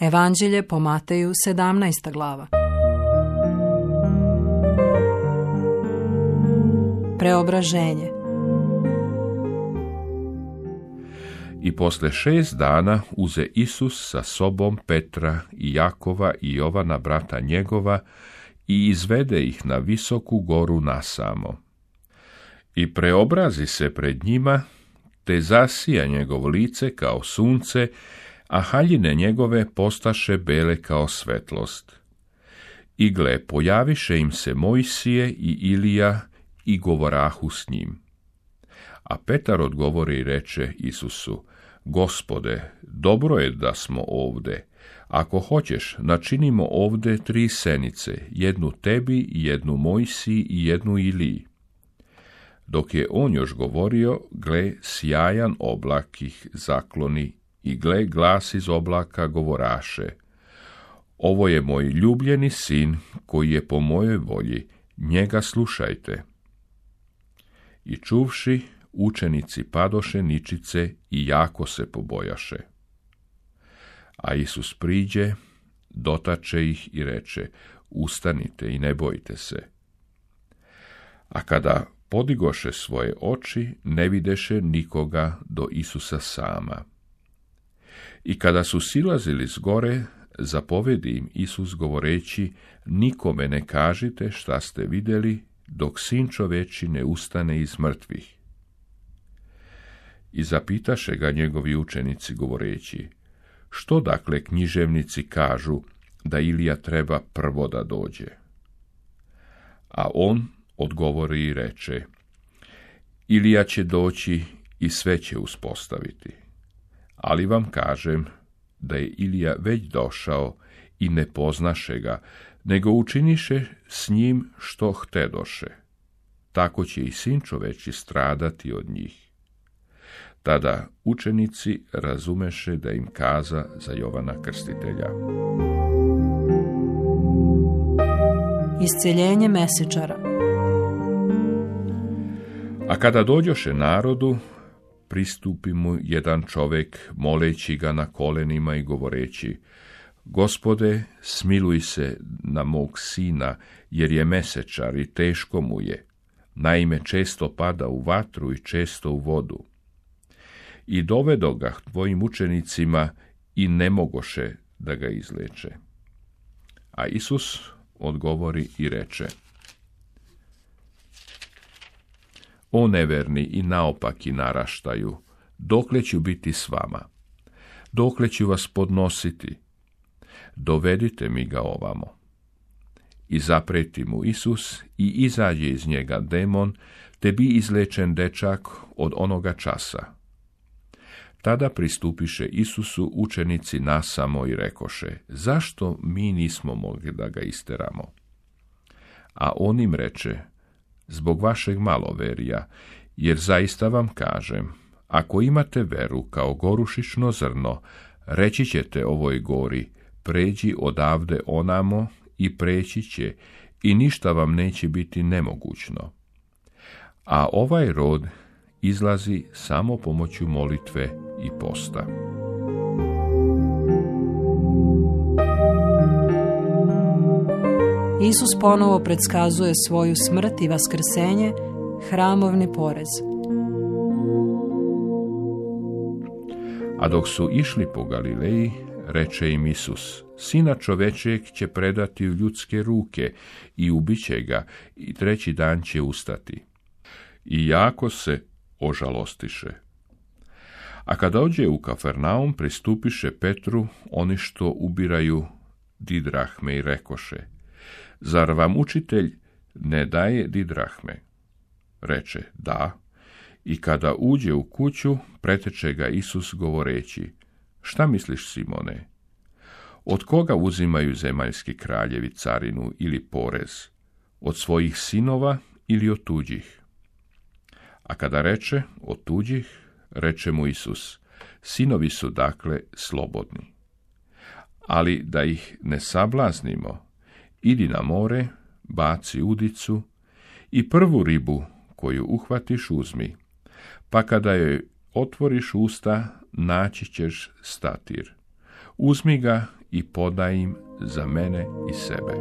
Evanđelje po Mateju 17. glava. Preobraženje. I posle 6 dana uze Isus sa sobom Petra i Jakova i Jovana brata njegova i izvede ih na visoku goru nasamo. I preobrazi se pred njima, te zasija njegovo lice kao sunce, a haljine njegove postaše bele kao svetlost. I gle, pojaviše im se Mojsije i Ilija i govorahu s njim. A Petar odgovori i reče Isusu: Gospode, dobro je da smo ovde. Ako hoćeš, načinimo ovde 3 senice, jednu tebi, jednu Mojsiji i jednu Iliji. Dok je on još govorio, gle, sjajan oblak ih zakloni i gle, glas iz oblaka govoraše: Ovo je moj ljubljeni sin, koji je po mojoj volji, njega slušajte. I čuvši, učenici padoše ničice i jako se pobojaše. A Isus priđe, dotače ih i reče: Ustanite i ne bojte se. A kada podigoše svoje oči, ne videše nikoga do Isusa sama. I kada su silazili s gore, zapovedi im Isus govoreći: Nikome ne kažite šta ste vidjeli, dok Sin čoveči ne ustane iz mrtvih. I zapitaše ga njegovi učenici govoreći: Što dakle književnici kažu da Ilija treba prvo da dođe? A on odgovori i reče: Ilija će doći i sve će uspostaviti. Ali vam kažem da je Ilija već došao i ne poznaše ga, nego učiniše s njim što htedoše. Tako će i Sin čoveči stradati od njih. Tada učenici razumeše da im kaza za Jovana Krstitelja. Isceljenje mesečara. A kada dođoše narodu, pristupi mu jedan čovek, moleći ga na kolenima i govoreći: Gospode, smiluj se na mog sina, jer je mesečar i teško mu je. Naime, često pada u vatru i često u vodu. I dovedo ga tvojim učenicima i ne mogoše da ga izleče. A Isus odgovori i reče: O neverni i naopaki naraštaju, dokle ću biti s vama? Dokle ću vas podnositi? Dovedite mi ga ovamo. I zapreti mu Isus i izađe iz njega demon, te bi izlečen dečak od onoga časa. Tada pristupiše Isusu učenici nasamo i rekoše: Zašto mi nismo mogli da ga isteramo? A on im reče: Zbog vašeg maloverija, jer zaista vam kažem, ako imate veru kao gorušično zrno, reći ćete ovoj gori: Pređi odavde onamo, i preći će, i ništa vam neće biti nemogućno. A ovaj rod izlazi samo pomoću molitve i posta. Isus ponovo predskazuje svoju smrt i vaskrsenje, hramovni porez. A dok su išli po Galileji, reče im Isus: Sina čovečeg će predati u ljudske ruke i ubiće ga, i 3. dan će ustati. I jako se ožalostiše. A kada dođe u Kafarnaum, pristupiše Petru oni što ubiraju didrahme i rekoše: Zar vam učitelj ne daje didrahme? Reče: Da. I kada uđe u kuću, preteče ga Isus govoreći: Šta misliš, Simone? Od koga uzimaju zemaljski kraljevi carinu ili porez? Od svojih sinova ili od tuđih? A kada reče od tuđih, reče mu Isus: Sinovi su dakle slobodni. Ali da ih ne sablaznimo, idi na more, baci udicu i prvu ribu koju uhvatiš uzmi, pa kada joj otvoriš usta, naći ćeš statir. Uzmi ga i poda im za mene i sebe.